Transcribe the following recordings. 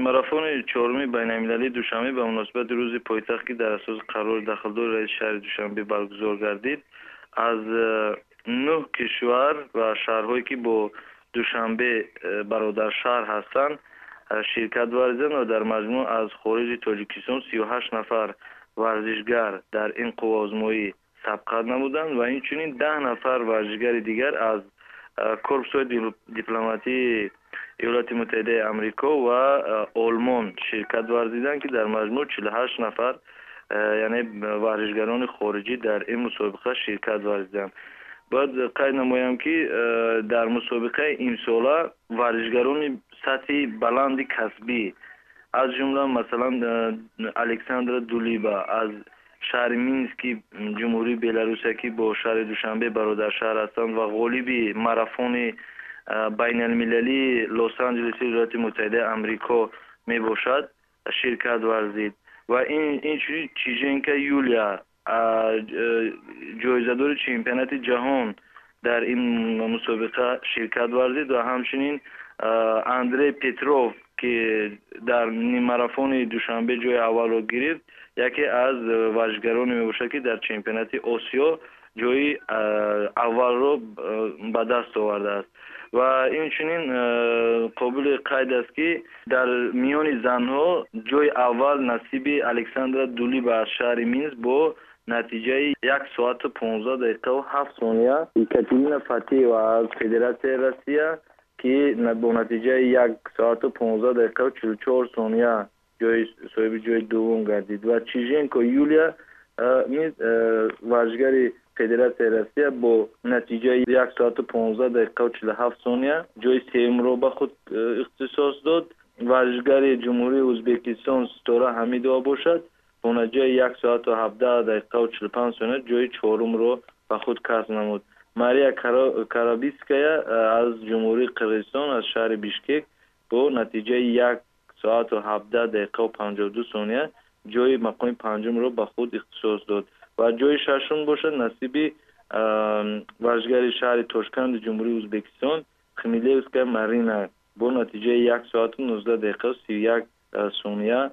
Ниммарафони чоруми байналмилалии Душанбе ба муносибати рӯзи пойтахт, ки дар асоси қарори дахлдори раиси шаҳри Душанбе баргузор гардид, аз 9 кишвар ва шаҳрҳое, ки бо Душанбе бародаршаҳр ҳастанд, ширкат варзиданд ва дар маҷмӯъ аз хориҷи Тоҷикистон 38 нафар варзишгар дар ин қувваозмоӣ сабқат намуданд ва инчунин 10 нафар варзишгари дигар аз корпусҳои дипломатии Иёлоти Муттаҳидаи Амрико ва Олмон ширкат варзиданд, ки дар маҷмӯъ 48 нафар, яъне варзишгарони хориҷӣ дар ин мусобиқа ширкат варзиданд. Бояд қайд намоям, ки дар мусобиқаи имсола варзишгарони сатҳи баланди касбӣ, аз ҷумла масалан Александра Дулиба аз шаҳри Мински Ҷумҳурии Беларусия, ки бо шаҳри Душанбе бародаршаҳр ҳастанд ва ғолиби марафони байналмилалии Лос-Анҷелеси Иёлоти Муттаҳидаи Амрико мебошад, ширкат варзид ва инчунин Чиженко Юлия, ҷоизадори чемпионати ҷаҳон, дар ин мусобиқа ширкат варзид ва ҳамчунин Андрей Петров, ки дар ниммарафони Душанбе ҷои аввалро гирифт, яке аз варзишгароне мебошад, ки дар чемпионати Осиё ҷои аввалро ба даст овардааст. Ва инчунин қобили қайд аст, ки дар миёни занҳо ҷои аввал насиби Александра Дулиба аз шаҳри Минск бо натиҷаи 1 соату 15 дақиқаву 7 сония, Екатерина Фатеева аз Федератсияи Россия, ки бо натиҷаи 1 соату 15 дақиқаву 44 сония соҳиби ҷои дуввум гардид ва Чиженко Юлия низ, варзишгари Федератсияи Россия, бо натиҷаи 1 соату 15 дақиқаву 47 сония ҷои сеюмро ба худ ихтисос дод. Варзишгари Ҷумҳурии Ӯзбекистон Ситора Ҳамидова бошад, бо натиҷаи 1 соату 17 дақиқаву 45 сония ҷои чорумро ба худ касб намуд. Мария Карабиская аз Ҷумҳурии Қирғизистон, аз шаҳри Бишкек, бо натиҷаи 1 соату 17 дақиқаву 52 сония ҷои мақоми панҷумро ба худ ихтисос дод ва ҷои шашум бошад, насиби варзишгари шаҳри Тошканди Ҷумҳурии Ӯзбекистон Хмелевская Марина бо натиҷаи 1 соату 19 дақиқаву 31 сония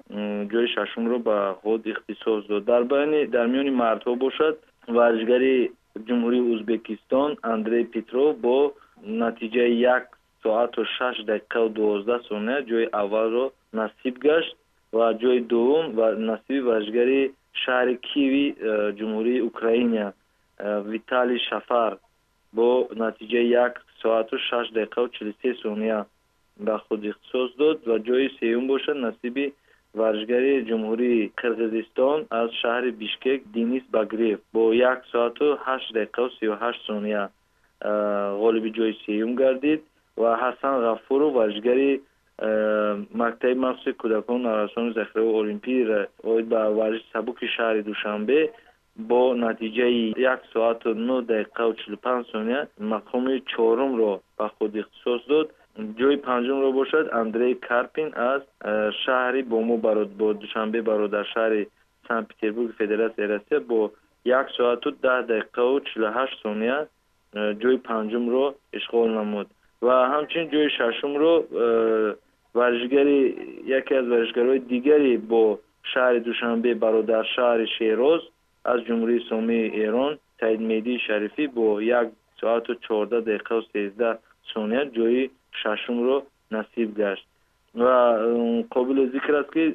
ҷои шашумро ба худ ихтисос дод. Дар миёни мардҳо бошад, варзишгари Ҷумҳурии Ӯзбекистон Андрей Петров бо натиҷаи 1 соату 6 дақиқаву 12 сония ҷои аввалро насиб гашт ва ҷои дуввум насиби варзишгари шаҳри Киеви Ҷумҳурии Украина Виталий Шафар бо натиҷаи 1 соату 6 дақиқаву 43 сония ба худ ихтисос дод ва ҷои сеюм бошад, насиби варзишгари Ҷумҳурии Қирғизистон аз шаҳри Бишкек Денис Багрев бо 1 соату 8 дақиқаву 38 сония ғолиби ҷои сеюм гардид ва Ҳасан Ғафуров, варзишгари мактаби махсуси кӯдакону наврасони захираҳои олимпӣ оид ба варзиши сабуки шаҳри Душанбе, бо натиҷаи 1 соату 9 дақиқаву 45 сония мақоми чорумро ба худ ихтисос дод. Ҷои панҷумро бошад, Андрей Карпин аз шаҳри бо мо бо Душанбе бародаршаҳри Санкт Петербурги Федератсияи Россия бо 1 соату 10 дақиқаву 48 сония ҷои панҷумро ишғол намуд ва ҳамчунин ҷои шашумро варзишгари яке аз варзишгарони дигари бо шаҳри Душанбе бародаршаҳри Шероз аз Ҷумҳурии Исломии Эрон Саидмеҳдии Шарифӣ бо 1 соату 14 дақиқаву 13 сония ҷои шашумро насиб гашт. Ва қобили зикр аст, ки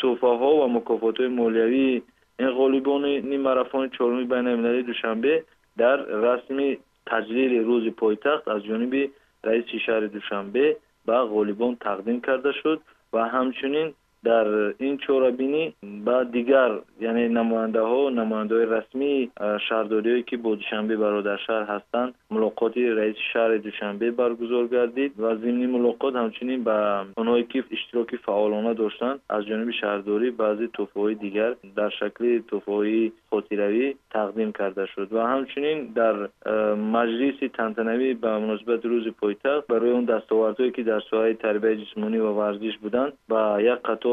тӯҳфаҳо ва мукофотҳои молиявии ин ғолибони ниммарафони чоруми байналмилалии Душанбе дар расми таҷлили рӯзи пойтахт аз ҷониби раиси шаҳри Душанбе ба ғолибон тақдим карда шуд ва ҳамчунин дар ин чорабинӣ ба дигар, яъне намояндаҳои расмии шаҳрдориҳое, ки бо Душанбе бародаршаҳр ҳастанд, мулоқоти раиси шаҳри Душанбе баргузор гардид ва зимни мулоқот ҳамчунин ба онҳое, ки иштироки фаъолона доштанд, аз ҷониби шаҳрдорӣ баъзе тӯҳфаҳои дигар дар шакли тӯҳфаҳои хотиравӣ тақдим карда шуд ва ҳамчунин дар маҷлиси тантанавӣ ба муносибати рӯзи пойтахт барои он дастовардҳое, ки дар соҳаи тарбияи ҷисмонӣ ва варзиш буданд, ба як қатор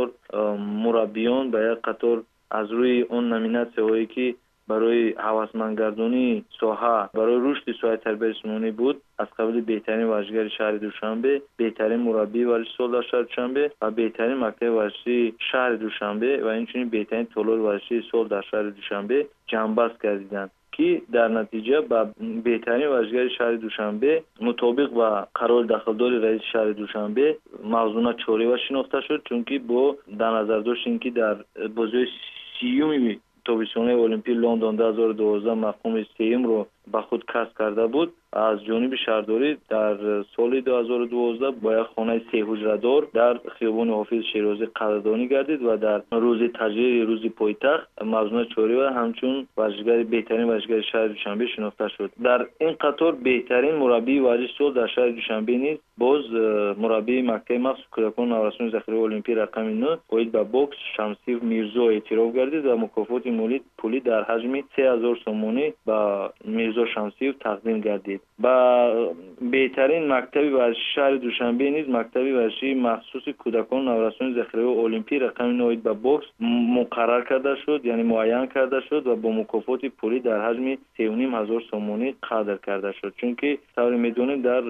мураббиён, ба як қатор аз рӯи он номинатсияҳое, ки Барои ҳавасмандгардонии соҳа, барои рушди соҳаи тарбияи ҷисмонӣ буд, аз қабили беҳтарин варзишгари шаҳри Душанбе, беҳтарин мураббии варзиши сол дар шаҳри Душанбе ва беҳтарин мактаби варзишии шаҳри Душанбе ва инчунин беҳтарин толори варзишии сол дар шаҳри Душанбе ҷамъбаст гардиданд, ки дар натиҷа ба беҳтарин варзишгари шаҳри Душанбе мутобиқ ба қарори дахлдори раиси шаҳри Душанбе Мавзуна Чорева шинохта шуд, чунки бо дар назардошти ин ки дар бозиҳои 30-уми тобистонаи Олимпии Лондон 2012 мақоми сеюмро ба худ касб карда буд, аз ҷониби шаҳрдорӣ дар соли 2012 бо як хонаи сеҳуҷрадор дар хиёбони Ҳофиз Шерозӣ қадрдонӣ гардид ва дар рӯзи таҷлили рӯзи пойтахт Мавзуна Чорева ҳамчун варзишгари беҳтарин варзишгари шаҳри Душанбе шинохта шуд. Дар ин қатор беҳтарин мураббии варзиши сол дар шаҳри Душанбе низ боз мураббии мактаби махсус кӯдакону наврасони захираи олимпӣ рақами 9 оид ба бокс Шамсиев Мирзо эътироф гардид ва мукофоти пулӣ дар ҳаҷми 3000 сомонӣ ба Мирзо Шамсиев тақдим гардид. Ба беҳтарин мактаби варзиши шаҳри Душанбе низ мактаби варзишии махсуси кӯдакону наврасони захираи олимпӣ рақами 9 оид ба бокс муқаррар карда шуд, яъне муайян карда шуд ва бо мукофоти пулӣ дар ҳаҷми 3500 сомонӣ қадр карда шуд. Чунки тавре медонем, дар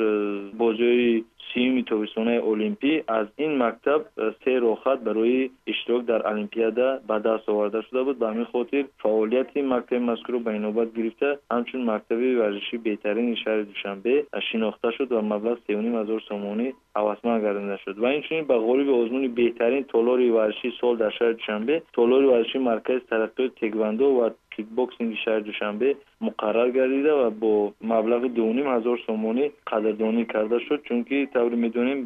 бозиҳои 30-уми тобистонаи олимпӣ аз ин мактаб се роҳхат барои иштирок дар олимпиада ба даст оварда шуда буд. Ба ҳамин хотир фаъолияти мактаби мазкурро ба инобат гирифта ҳамчун мактаби варзишии беҳтарини шаҳри Душанбе шинохта шуд ва маблағ 3500 сомонӣ ҳавасманд гардонида шуд. Ва инчунин ба ғолиби озмуни беҳтарин толори варзишии сол дар шаҳри Душанбе толори варзишии маркази тараққиёти теквандо ва кикбоксинги шаҳри Душанбе муқаррар гардида ва бо маблағи 2500 сомонӣ қадрдонӣ карда шуд, чунки тавре медонем,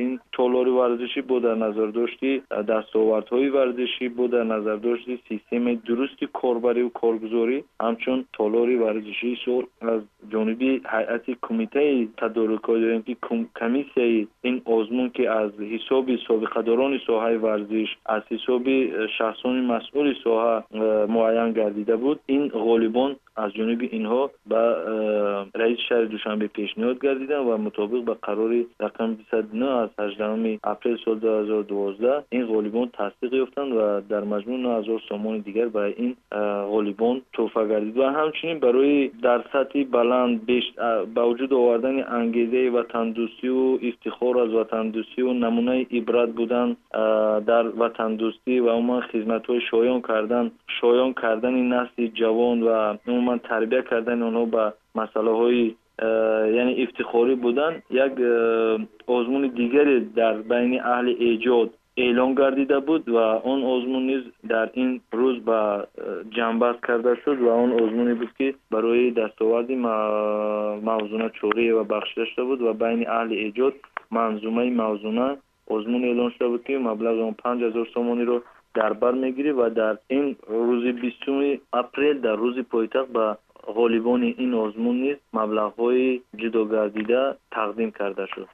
ин толори варзишӣ бо дар назардошти дастовардҳои варзишӣ, бо дар назардошти системаи дурусти корбариву коргузорӣ ҳамчун толори варзишии сол аз ҷониби ҳайати кумитаи тадорукот ё ин ки комиссияи ин озмун, ки аз ҳисоби собиқадорони соҳаи варзиш, аз ҳисоби шахсони масъули соҳа муайян гардида буд, ин ғолибон аз ҷониби инҳо ба раиси шаҳри Душанбе пешниҳод гардиданд ва мутобиқ ба қарори рақами 209 аз 18 апрели соли 2012 ин ғолибон тасдиқ ёфтанд ва дар маҷмӯъ 9000 сомони дигар ба ин ғолибон тӯҳфа гардид. Ва ҳамчунин барои дар сатҳи баланд ба вуҷуд овардани ангезаи ватандӯстиву ифтихор аз ватандӯстиву намунаи ибрат будан дар ватандӯстӣ ва умуман хизматҳои шоён кардани насли ҷавон ва умуман тарбия кардани онҳо ба масъалаҳои яъне ифтихорӣ будан, як озмуни дигаре дар байни аҳли эҷод эълон гардида буд ва он озмун низ дар ин рӯз ба ҷамъбаст карда шуд ва он озмуне буд, ки барои дастоварди Мавзуна Чориева бахшида шуда буд ва байни аҳли эҷод манзумаи Мавзуна озмун эълон шуда буд, ки маблағи он 5000 сомониро дар бар мегирифт ва дар ин рӯзи 20 апрел, дар рӯзи пойтахт, ба ғолибони ин озмун низ маблағҳои ҷудогардида тақдим карда шуд.